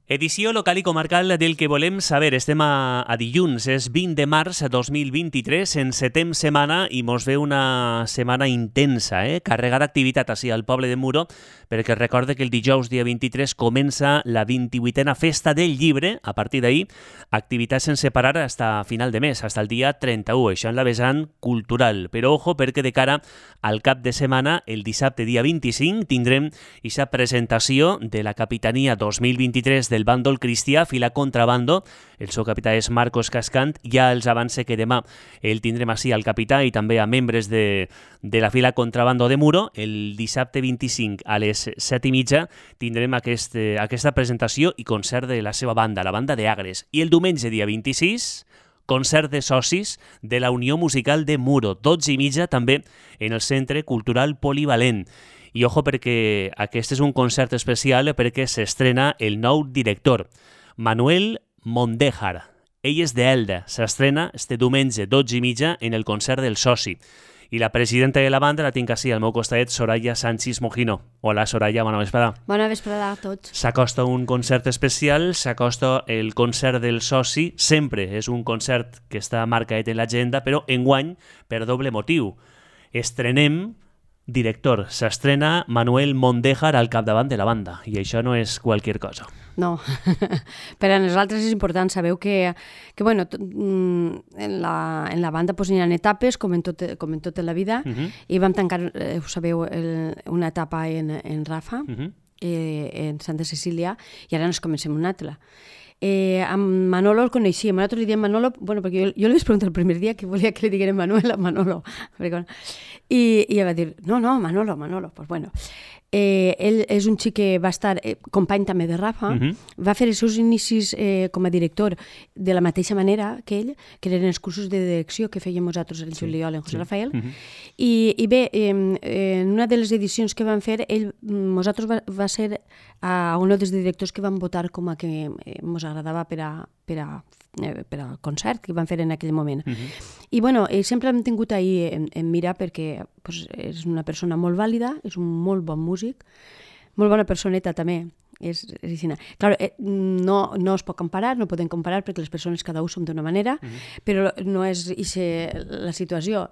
Edició local i comarcal del que volem saber. Estem a dilluns, és 20 de març de 2023, encetem setmana i mos ve una setmana intensa, carregada d'activitat ací al poble de Muro, perquè recorde que el dijous dia 23 comença la 28a Festa del Llibre, a partir d'ahir, activitats sense parar fins a final de mes, fins al dia 31, això en la vessant cultural. Però ojo, perquè de cara al cap de setmana, el dissabte dia 25, tindrem aquesta presentació de la Capitania 2023 del bàndol cristià, Fila Contrabando. El seu capità és Marcos Cascant. Ja els avance que demà el tindrem així al capità i també a membres de la Fila Contrabando de Muro. El dissabte 25 a les 7:30 tindrem aquesta presentació i concert de la seva banda, la banda d'Agres. I el diumenge dia 26, concert de socis de la Unió Musical de Muro, 12:30 també en el Centre Cultural Polivalent. I ojo perquè aquest és un concert especial perquè s'estrena el nou director, Manuel Mondéjar. Ell és d'Elda, s'estrena este diumenge 12:30 en el concert del soci. I la presidenta de la banda la tinc així al meu costat, Soraya Sánchez Mojino. Hola Soraya, bona vesprada. Bona vesprada a tots. S'acosta un concert especial, s'acosta el concert del soci, sempre és un concert que està marcat en l'agenda, però enguany per doble motiu. Estrenem director, s'estrena Manuel Mondéjar al capdavant de la banda, i això no és qualsevol cosa. No, per a nosaltres és important. Sabeu que bueno, en la banda pues, hi ha etapes, com en tot en la vida, i vam tancar, ho sabeu, una etapa en Rafa, en Santa Cecília, i ara ens comencem una altra. Amb Manolo el coneixíem, nosaltres li diem Manolo, bueno, perquè jo li vaig preguntar el primer dia que volia que li digueren Manuel a Manolo, i ella va dir, no, Manolo, pues bueno. Ell és un xic que va estar company també de Rafa, va fer els seus inicis com a director de la mateixa manera que ell, que eren els cursos de direcció que fèiem nosaltres, el Juliol i en José Rafael, i bé, en una de les edicions que vam fer, nosaltres va ser a un dels directors que vam votar com a que ens agradava per al concert que van fer en aquell moment. I bueno, sempre l'hem tingut ahir en mira perquè és una persona molt vàlida, és un molt bon músic, molt bona personeta també. Clar, no es pot comparar, no podem comparar perquè les persones cada un som d'una manera, però no és la situació.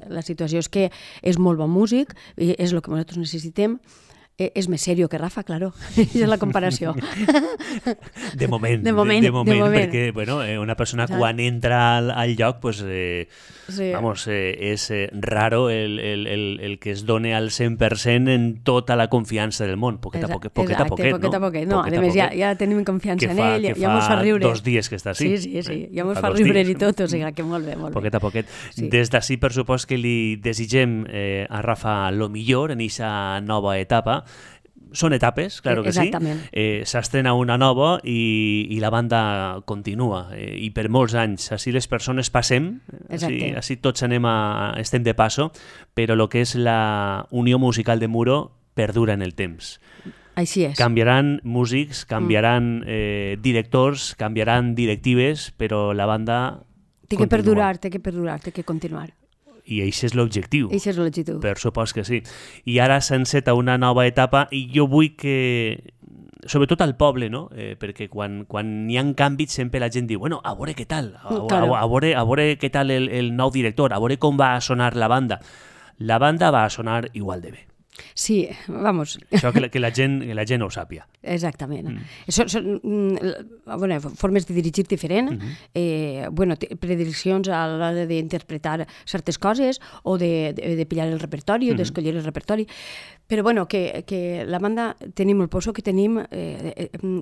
La situació és que és molt bon músic, és el que nosaltres necessitem. És més serio que Rafa, claro. És la comparació. De moment, perquè bueno, una persona quan entra al lloc pues, és raro el que es done al 100% en tota la confiança del món, poquet a poquet. Poquet a poquet. No, a més, ja tenim confiança en ell, ja mos fa riure. Que fa 2 dies que està així. Sí, ja mos fa riure i tot, o sigui que molt bé. Poquet a poquet. Des d'ací, per supost que li desitgem a Rafa lo millor en aquesta nova etapa. Són etapes, claro que sí. S'estrena una nova i la banda continua. I per molts anys, així les persones passem, així tots estem de passo, però el que és la Unió Musical de Muro perdura en el temps. Així és. Canviaran músics, canviaran directors, canviaran directives, però la banda té que perdurar, té que continuar. I això és l'objectiu. Això és l'objectiu. Per supost que sí. I ara s'enceta una nova etapa i jo vull que, sobretot al poble, no? Perquè quan hi ha canvis sempre la gent diu, bueno, a veure què tal, a veure què tal el nou director, a veure com va a sonar la banda. La banda va a sonar igual de bé. Sí, vamos. Això que la gent ho sàpia. Exactament. Són formes de dirigir diferent, predileccions a l'hora d'interpretar certes coses o de pillar el repertori o d'escollir el repertori. Però bueno, que la banda tenim el poso que tenim,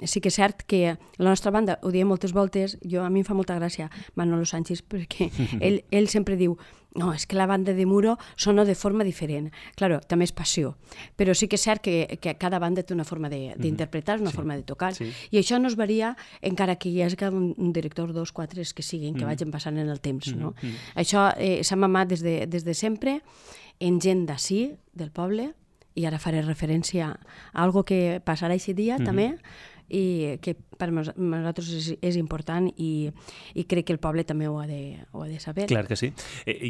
sí que és cert que la nostra banda, ho diem moltes voltes, a mi em fa molta gràcia Manolo Sánchez, perquè ell sempre diu no, és que la banda de Muro sona de forma diferent. Claro, també és passió, però sí que és cert que cada banda té una forma d'interpretar, una forma de tocar, i això no es varia encara que hi hagi un director, 2, 4, que siguin, que vagin passant en el temps. Això s'ha mamat des de sempre en gent d'ací, del poble, i ara faré referència a algo que passarà aquest dia també, i que per nosaltres és important i crec que el poble també ho ha de saber. Clar que sí.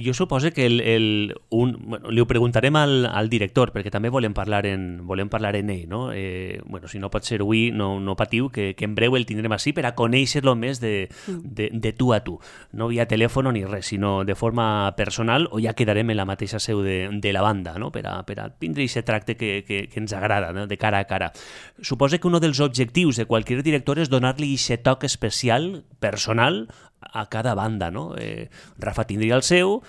Jo suposo que li ho preguntarem al director, perquè també volem parlar en ell, no? Si no pot ser avui, no patiu, que en breu el tindrem així per a conèixer-lo més de tu a tu. No via telèfon ni res, sinó de forma personal, o ja quedarem en la mateixa seu de la banda, no? Per a tindre aquest tracte que ens agrada, no? De cara a cara. Suposo que un dels objectius de qualsevol director és donar-li aquest toc especial, personal, a cada banda, no? Rafa tindria el seu,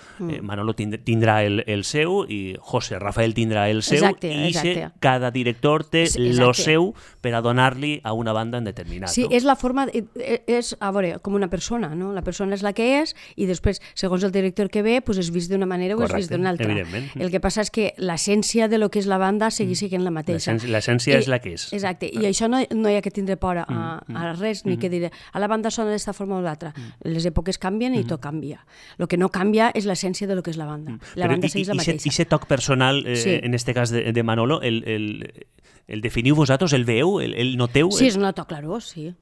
Manolo tindrà el seu i José Rafael tindrà el seu, i cada director té el seu per a donar-li a una banda en determinat. Sí, és la forma, és, a veure, com una persona, no? La persona és la que és i després, segons el director que ve, és vist d'una manera o és vist d'una altra. El que passa és que l'essència de lo que és la banda segueix sent la mateixa. L'essència és la que és. Exacte, i això no hi ha que tindre por a res, ni que dir, a la banda sona d'esta forma o l'altra. Les èpoques canvien i tot canvia. El que no canvia és l'essència de lo que és la banda. La banda segueix la mateixa. I aquest toc personal, en este cas de Manolo, el definiu vosaltres, el veieu, el noteu? Sí, és un toc clarós, sí.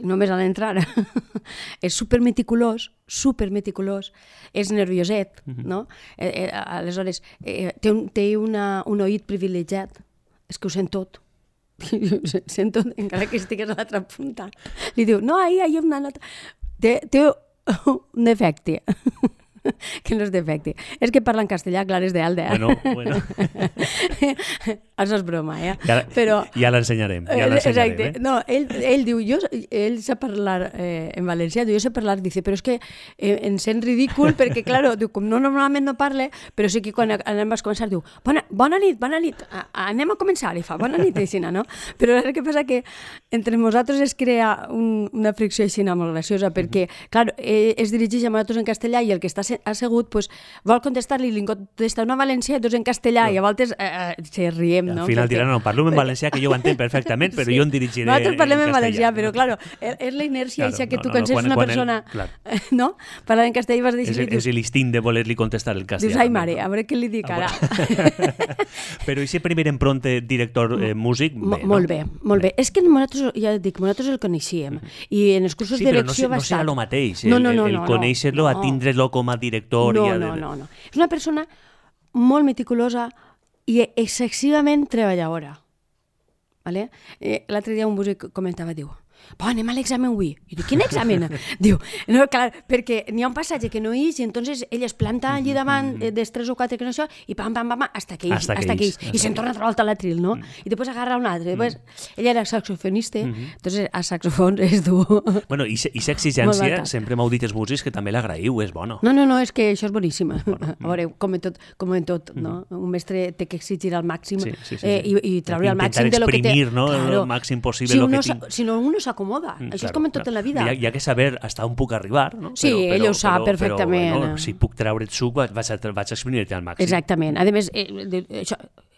Només a l'entrar. És supermeticulós, és nervioset, no? Aleshores, té un oït privilegiat, és que ho sent tot. Sento, encara que estigués a l'altra punta. Li diu, no, ahí hi ha una nota. Té un defecte. Que no és defecte. És que parla en castellà, clar, és d'Alde. Bueno. Això és broma, Però... Ja l'ensenyarem. Exacte. No, ell diu, ell sap parlar en valencià, jo sé parlar, dice, però és que em sent ridícul perquè, clar, diu, com normalment no parle, però sí que quan anem a començar diu, bona nit, anem a començar, i fa bona nit, aixina, no? Però el que passa que entre nosaltres es crea una fricció aixina molt graciosa, perquè, clar, es dirigeix a nosaltres en castellà i el que està assegut, vol contestar-li, li contesta una valencià i dos en castellà, i a voltes se riem, no? Al final dirà, no, parlo en valencià, que jo ho entenc perfectament, però jo em dirigiré en castellà. Nosaltres parlem en valencià, però, clar, és la inèrcia això que tu coneixes una persona, no? Parlant en castellà i vas dir... És l'instint de voler-li contestar el castellà. Dius, ai mare, a veure què li dic ara. Però aquest primer empronte director músic, bé, no? Molt bé. És que nosaltres, ja dic, nosaltres el coneixíem, i en els cursos de direcció va estar... Sí, però no serà el mateix, el conèixer-lo, a tindre-lo com a director... No. És una persona molt meticulosa i excessivament treballadora. L'altre dia un músic comentava, diu, anem a l'examen avui. Jo dic, quin examen? Diu, no, clar, perquè n'hi ha un passatge que no ix i entonces ell es planta allí davant dels 3 o 4 que no això i pam, hasta que ix. I se'n torna a trobar a l'atril, no? I després agarra un altre. Ell era saxofonista, entonces a saxofons és dur. Bueno, i exigència, sempre m'heu dit els músics que també l'agraïu, és bona. No, és que això és boníssima. A veure, com en tot, no? Un mestre té que exigir al màxim i treure al màxim de lo que té. Intentar exprimir, el màxim possible el que tinc. Si no, uno s'acomoda. Això és com en tot en la vida. Hi ha que saber fins on puc arribar, no? Sí, ell ho sap perfectament. Però si puc treure't suc, vaig exprimir-te al màxim. Exactament. A més,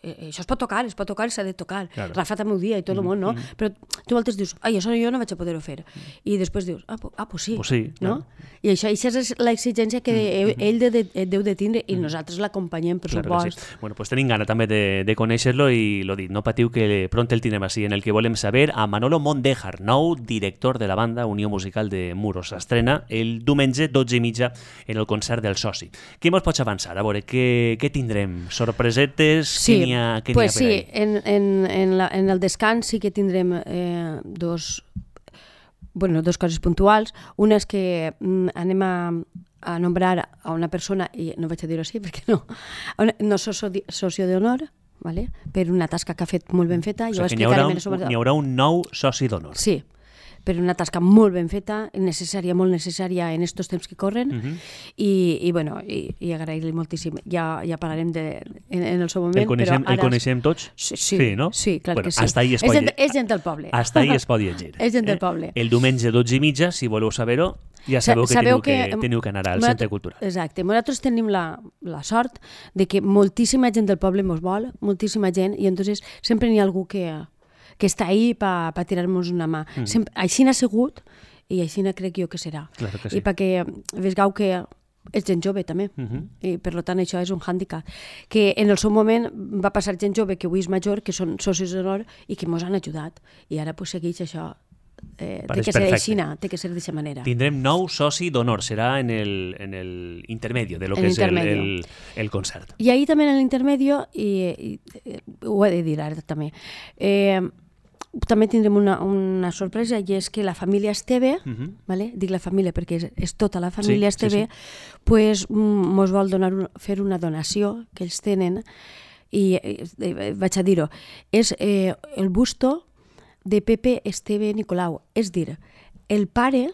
això es pot tocar, s'ha de tocar. Rafa també ho dia i tot el món, no? Però tu voltes dius, això jo no vaig a poder-ho fer. I després dius, pues sí. No? I això és l'exigència que ell deu de tindre i nosaltres l'acompanyem, per supost. Bueno, pues tenim gana també de conèixer-lo i lo dit, no patiu que pront el tindrem així, en el que volem saber a Manolo Mondéjar, nou director de la banda Unió Musical de Muros. S'estrena el diumenge 12:30 en el concert del Soci. Què mos pots avançar? A veure, què tindrem? Sorpresetes? Sí, pues sí, en el descans sí que tindrem dos coses puntuals. Una és que anem a nombrar a una persona, i no vaig a dir-ho així perquè no socio d'honor, ¿vale? Per una tasca que ha fet molt ben feta. O sigui, n'hi haurà un nou soci d'honor. Sí, per una tasca molt ben feta, molt necessària en aquests temps que corren, i agrair-li moltíssim. Ja parlarem en el seu moment. El coneixem tots? Sí, no? Sí, clar que sí. És gent del poble. Hasta ahí es pot llegir. És gent del poble. El diumenge 12:30, si voleu saber-ho, ja sabeu que teniu que anar al Centre Cultural. Exacte. Nosaltres tenim la sort de que moltíssima gent del poble ens vol, moltíssima gent, i entonces sempre n'hi ha algú que està ahí per tirar-nos una mà. Així n'ha sigut i així crec jo que serà. Claro que sí. I perquè vegeu que és gent jove també, i per tant això és un hàndicap, que en el seu moment va passar gent jove que avui és major, que són socis d'honor i que ens han ajudat, i ara pues, segueix això. Té que ser aixina, té que ser d'aquesta manera. Tindrem nou soci d'honor, serà en el intermedio de lo que és el concert. I ahir també en l'intermedio, i ho he de dir ara també, també tindrem una sorpresa, i és que la família Esteve, dic la família perquè és tota la família Esteve, pues mos vol fer una donació que ells tenen, i vaig a dir-ho, és el busto de Pepe Esteve Nicolau, és dir, el pare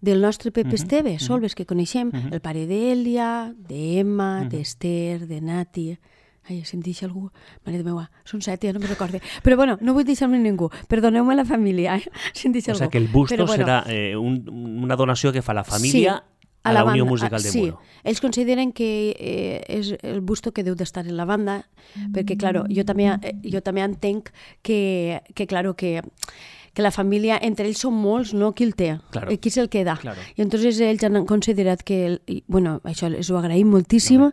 del nostre Pepe Esteve, Solves, que coneixem, el pare d'Èlia, d'Emma, d'Ester, de Nati. Ai, si em deixa algú, mare meva, són 7, ja no me'n recorde. Però bueno, no vull deixar-me ningú, perdoneu-me la família, si em deixa algú. O sigui que el busto serà una donació que fa la família a la Unió Musical de Muro. Sí, ells consideren que és el busto que deu d'estar en la banda, perquè, claro, jo també entenc que la família, entre ells són molts, no qui el té, qui se'l queda. I entonces ells han considerat que, bueno, això ho agraïm moltíssim,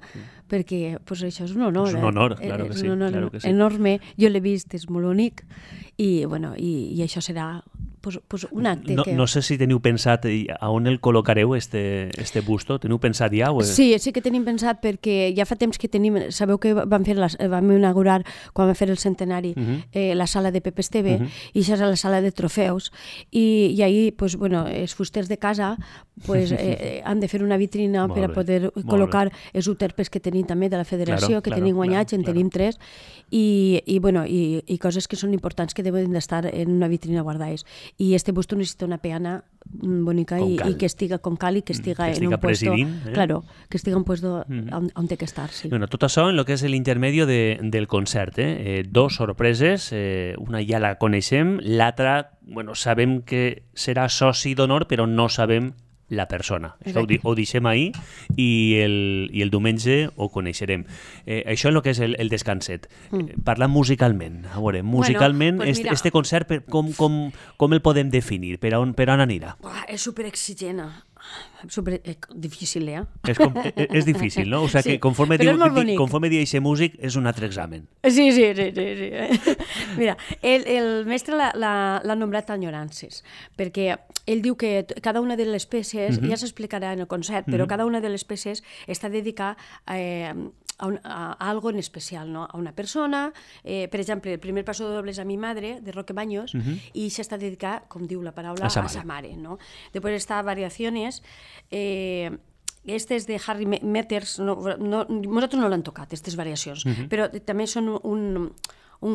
perquè pues, això és un honor. És un honor, claro que sí. És un honor enorme, jo l'he vist, és molt únic, i això serà pues un acte que... No sé si teniu pensat a on el col·locareu, este busto. Teniu pensat ja? Sí que tenim pensat, perquè ja fa temps que tenim... Sabeu que vam inaugurar, quan vam fer el centenari, la sala de Pepe Esteve, i això és la sala de trofeus, i ahir, pues, bueno, els fusters de casa pues, han de fer una vitrina per a poder col·locar els uterpes que tenim també de la federació, que tenim guanyats, en tenim 3, i coses que són importants que deuen d'estar en una vitrina guardades. I este busto necessita una peana bonica i que estiga com cal i que estiga en un puesto... Claro, que estiga en un puesto on té que estar, sí. Bueno, tot això en el que és l'intermedio del concert. Dos sorpreses, una ja la coneixem, l'altra, bueno, sabem que serà soci d'honor, però no sabem la persona. Això ho deixem ahir i el diumenge ho coneixerem. Això és el que és el descanset. Parlant musicalment, a veure, musicalment, este concert, com el podem definir? Per on anirà? És superexigent. Difícil, És difícil, no? O sigui que conforme diu músic és un altre examen. Sí. Mira, el mestre l'ha nombrat enyorances, perquè ell diu que cada una de les peces, ja s'explicarà en el concert, però cada una de les peces està dedicada a algo en especial, ¿no? A una persona, per exemple, el primer paso doble és a mi madre, de Roque Baños, i això està dedicat, com diu la paraula, a sa mare, ¿no? Després està Variaciones, este és de Harry Metters, nosaltres no l'han tocat, aquestes variacions, però també són un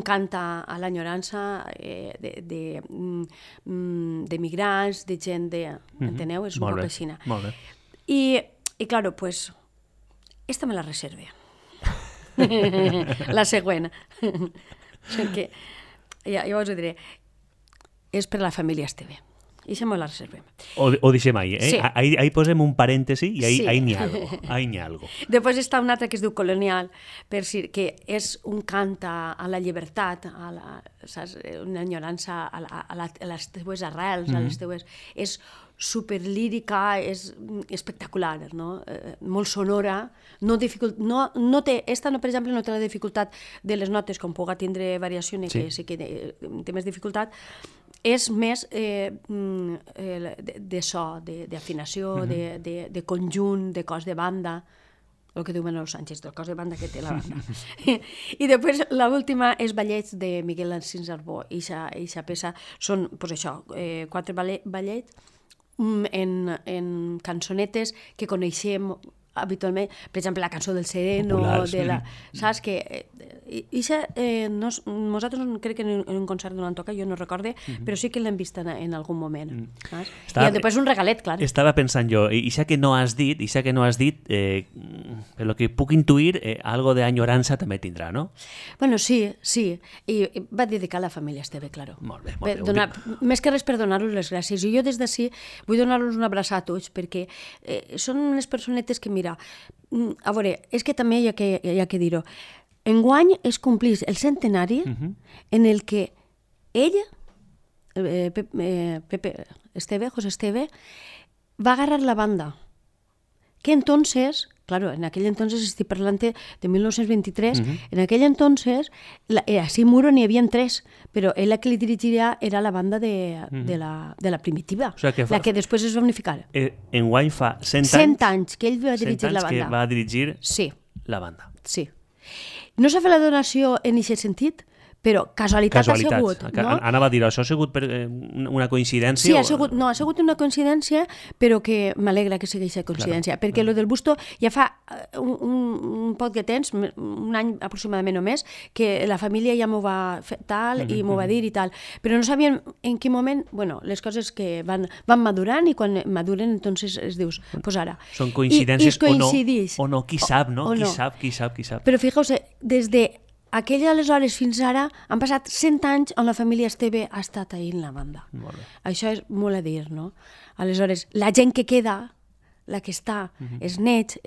cant a l'enyorança de migrants, de gent de... Enteneu? És un poc així. I claro, pues, esta me la reserve. La següent. Que, ja us ho diré. És per la família Esteve. I això me la reservem. Ho deixem ahí, eh? Sí. Ahí posem un parèntesi i ahí n'hi ha algo. Després està un altre que es diu Colonial, que és un cant a la llibertat, una enyorança a les teues arrels, a les teues... És superlírica, és espectacular, no? Molt sonora, esta, per exemple, no té la dificultat de les notes, com puga tindre Variaciones, que sí que té més dificultat, és més de so, d'afinació, de conjunt, de cos de banda, el que diu Manolo Sánchez, del cos de banda que té la banda. I després l'última és Ballets de Miguel Alcins Arbó, i aquesta peça són, doncs això, 4 ballets en cançonetes que coneixem habitualment, per exemple, la cançó del Sereno, saps que... Nosaltres crec que en un concert no l'han tocat, jo no recorde, però sí que l'hem vist en algun moment. I després un regalet, clar. Estava pensant jo, i això que no has dit, per lo que puc intuir, algo d'enyorança també tindrà, no? Bueno, sí, i va dedicar a la família Esteve, claro. Molt bé. Més que res per donar-los les gràcies. I jo des d'ací vull donar-los una abraçada a tots, perquè són unes personetes que, mira, a veure, és que també hi ha que dir-ho, enguany es complís el centenari en el que ell, Pepe Esteve, José Esteve, va agarrar la banda que entonces, claro, en aquell entonces estic parlant de 1923, en aquell entonces, així Muro n'hi havia 3, però ell la que li dirigiria era la banda de la Primitiva, O sigui que la que després es va unificar. Enguany fa 100 anys... 100 anys que ell va dirigir la 100 anys que banda. va dirigir Sí, la banda. sí. No s'ha fet la donació en aquest sentit, però casualitat ha sigut. No? Anava a dir, això ha sigut una coincidència? Sí, ha sigut una coincidència, però que m'alegra que sigui aquesta coincidència, perquè lo del busto ja fa un poc de temps, un any aproximadament o més, que la família ja m'ho va fer tal i m'ho va dir i tal, però no sabien en quin moment, bueno, les coses que van madurant i quan maduren entonces es dius, pues ara. Són coincidències o no, qui sap, no? Qui sap. Però fixeu-vos, des de aquella aleshores fins ara han passat 100 anys on la família Esteve ha estat ahí en la banda. Això és molt a dir, no? Aleshores, la gent que queda, la que està, els nets,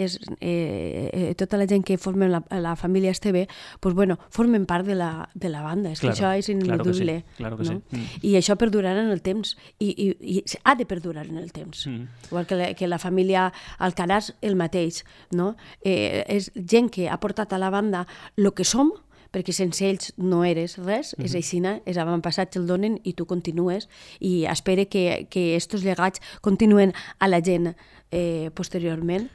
tota la gent que formen la família Esteve, pues bueno, formen part de la banda. És que això és ineludible. Claro que sí. I això perdurarà en el temps. I ha de perdurar en el temps. Igual que la família Alcaraz, el mateix. No? És gent que ha portat a la banda el que som, perquè sense ells no eres res, és així, és avantpassat, te'l donen i tu continues, i espero que estos llegats continuen a la gent posteriorment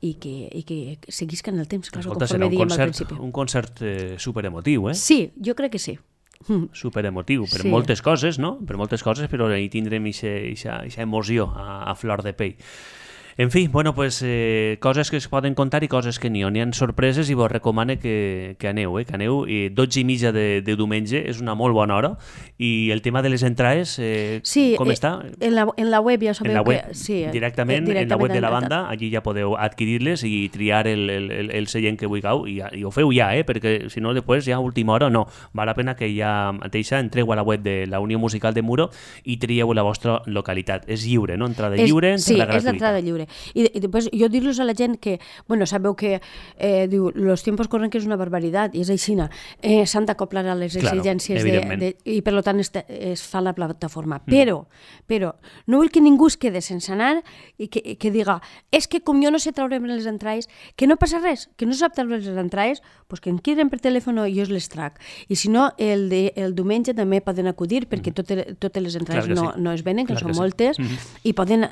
i que seguisquen el temps, claro, conforme dèiem al principi. Un concert superemotiu, eh? Sí, jo crec que sí. Superemotiu, per moltes coses, no? Per moltes coses, però hi tindrem aquesta emoció a flor de pell. En fi, bueno, pues, coses que es poden contar i coses que n'hi ha. N'hi ha sorpreses i vos recomano que aneu, que aneu. 12:30 de diumenge és una molt bona hora. I el tema de les entrades, com està? En la web ja sabeu que... Sí, directament en la web de la banda, allí ja podeu adquirir-les i triar el seient que vulgueu i ho feu ja, perquè si no després ja a última hora no. Val la pena que ja mateixa entreu a la web de la Unió Musical de Muro i trieu la vostra localitat. És lliure, no? Entrada lliure, entrada gratuïta. Sí, és l'entrada lliure. I després jo dir-los a la gent que, bueno, sabeu que diu, los tiempos corren que és una barbaritat, i és aixina, s'han d'acoplar a les exigències i per tant es fa la plataforma. Però no vull que ningú es quede sense anar i que diga, és que com jo no sé traure'm les entrades, que no passa res, que no sap treure les entrades, pues que em queden per telèfon i jo les trac. I si no, el diumenge també poden acudir, perquè totes les entrades no es venen, que són moltes, i poden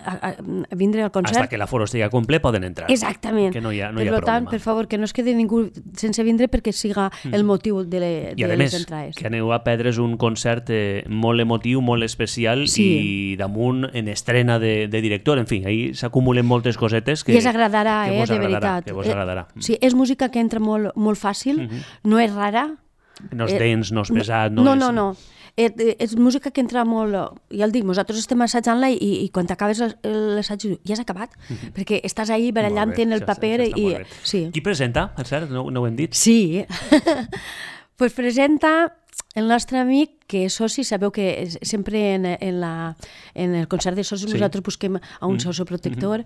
vindre al concert. Hasta que l'aforo estigui complet poden entrar. Exactament. Que no hi ha per problema. Tant, per favor, que no es quedi ningú sense vindre perquè siga el motiu de les entrades. I a més, que aneu a perdre's un concert molt emotiu, molt especial i damunt en estrena de director. En fi, ahí s'acumulen moltes cosetes que... I es agradarà, de veritat. Que vos agradarà. Sí, és música que entra molt fàcil, no és rara. No és dens, no és pesat. No. És música que entra molt... Ja el dic, nosaltres estem assajant-la i quan t'acabes l'assaig ja has acabat, perquè estàs ahí barallant en el paper i... Qui presenta, per cert? No ho hem dit? Sí. Pues presenta el nostre amic, que és soci, sabeu que sempre en el concert de socis nosaltres busquem a un soci protector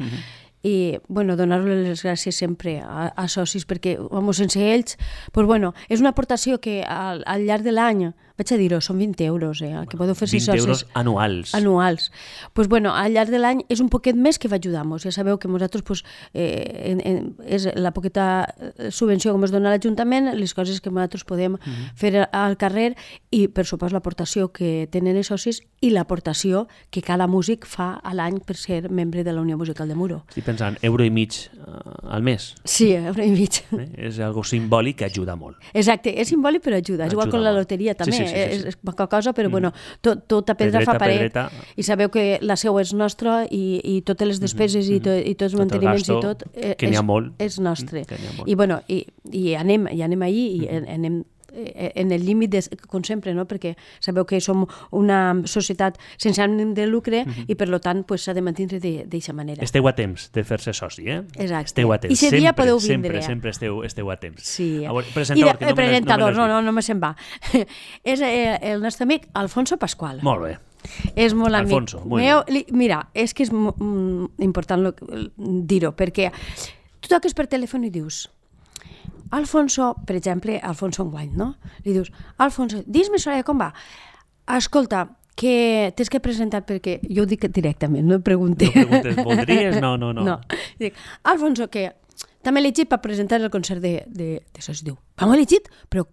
i, bueno, donar-los les gràcies sempre a socis, perquè, sense ells, pues, bueno, és una aportació que al llarg de l'any, vaig a dir-ho, són 20 euros, que podeu fer 20 euros anuals. Pues, bueno, al llarg de l'any és un poquet més que va ajudar-nos. Ja sabeu que nosaltres, pues, és la poqueta subvenció que ens dona l'Ajuntament, les coses que nosaltres podem fer al carrer i, per supost, l'aportació que tenen els socis i l'aportació que cada músic fa a l'any per ser membre de la Unió Musical de Muro. Estic pensant, €1,50 al mes. Sí, €1,50. És algo simbòlic que ajuda molt. Exacte, és simbòlic però ajuda. És igual que la loteria també, és poca cosa, però bueno, tota pedra fa paret. I sabeu que la seu és nostra i totes les despeses i tots els manteniments i tot és nostre. I bueno, i anem allí i anem en el límit, com sempre, no? Perquè sabeu que som una societat sense ànim de lucre i per tant s'ha de mantenir d'aquesta manera. Esteu a temps de fer-se soci, Exacte. Esteu a temps. I aquest dia podeu vindre. Sempre esteu a temps. Sí. Presentador, presentador, no me se'n va. És el nostre amic Alfonso Pascual. Molt bé. És molt amic. Alfonso, molt bé. Mira, és que és important dir-ho, perquè tu toques per telèfon i dius Alfonso, per exemple, Alfonso enguany, no? Li dius, Alfonso, dis-me, Soraya, com va? Escolta, que tens que presentar, perquè jo ho dic directament, no pregunte. No preguntes, voldries? No. No. Dic, Alfonso, que t'hem elegit per presentar el concert de Soci. Diu, m'hem elegit? Però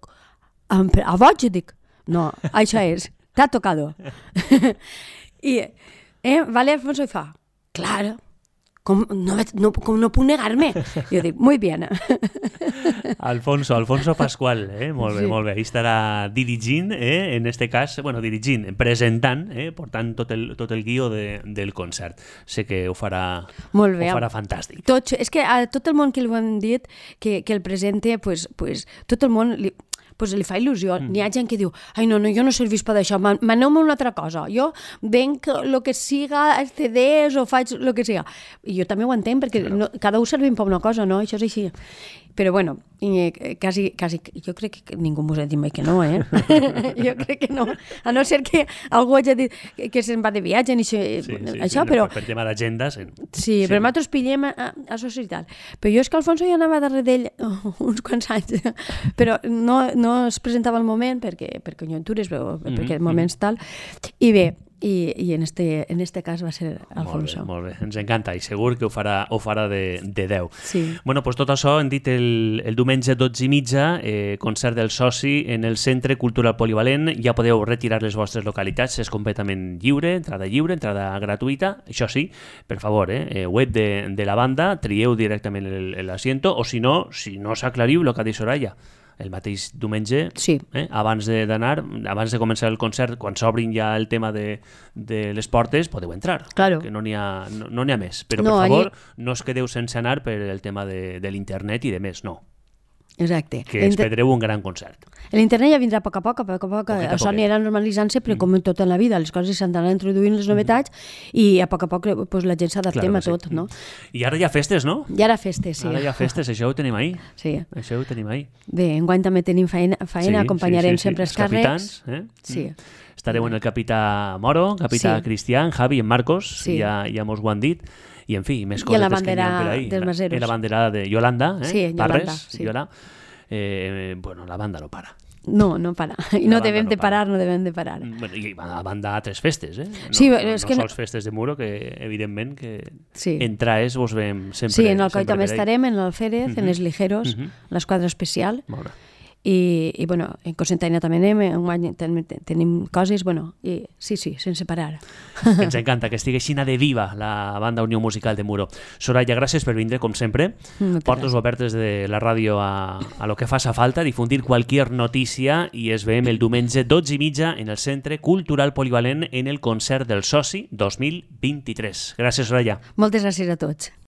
a boig? Dic, no, això és, t'ha tocado. I, vale, Alfonso, i fa, claro, com no puc negar-me. Jo dic, muy bien. Alfonso Pascual, molt bé, Sí. molt bé. Ahí estarà dirigint, en este cas, dirigint, presentant, portant tot el guió del concert. Sé que ho farà, Molt bé. ho farà fantàstic. És que a tot el món que li han dit que el presente, pues, tot el món li fa il·lusió. N'hi ha gent que diu, ai no, jo no servís per això, maneu-me una altra cosa, jo venc el que siga, CDs o faig el que siga. I jo també ho entenc, perquè cada un servim per una cosa, no? Això és així. Però bueno, quasi, jo crec que ningú m'ho ha dit mai que no, jo crec que no, a no ser que algú hagi dit que se'n va de viatge, això, però... Per tema d'agenda... Sí, però nosaltres pillem a societat. Però jo és que Alfonso ja anava darrere d'ell uns quants anys, però no es presentava al moment perquè conjuntures, perquè moments tal, i bé, i en este cas va ser Alfonso. Molt bé, ens encanta i segur que ho farà de 10. Sí. Bueno, doncs tot això hem dit el diumenge 12:30, concert del Soci en el Centre Cultural Polivalent. Ja podeu retirar les vostres localitats, és completament lliure, entrada gratuïta. Això sí, per favor, web de la banda, trieu directament l'asiento, o si no s'aclariu el que ha dit Soraya. El mateix diumenge, sí. Abans de començar el concert, quan s'obrin ja el tema de les portes, podeu entrar, claro. Que no n'hi ha més. Però, per favor, no us quedeu sense anar per el tema de l'internet i de més, no. Exacte. Que ens perdreu un gran concert. L'internet ja vindrà a poc a poc, això anirà normalitzant-se, però com tot en la vida, les coses s'han d'anar introduint les novetats i a poc la gent s'adaptem a tot, no? I ara hi ha festes, no? I ara festes, sí. Ara hi ha festes, això ho tenim ahir. Sí. Això ho tenim ahir. Bé, enguany també tenim feina, acompanyarem sempre els càrrecs. Sí. Estareu en el capità Moro, capità Cristian, Javi i en Marcos, ja mos ho han dit. I, en fi, més cosetes que n'hi ha per ahí. I la bandera dels Maseros. I la bandera de Yolanda, Parres, sí. Yola. Bueno, la banda no para. No para. I no devem de parar. Bueno, i a banda altres festes, Sí, no sols festes de Muro, que evidentment que entrar vos veiem sempre. Sí, en el Coi també estarem, en l'Alférez, en els Ligeros, l'esquadra especial. Molt bé. I bueno, en Cosentaina també anem, tenim coses, bueno, i sí, sense parar. Ens encanta que estigui així de viva la banda Unió Musical de Muro. Soraya, gràcies per vindre, com sempre. Portes obertes de la ràdio a lo que faça falta, difundir qualsevol notícia, i es veiem el diumenge 12:30 en el Centre Cultural Polivalent en el concert del Soci 2023. Gràcies, Soraya. Moltes gràcies a tots.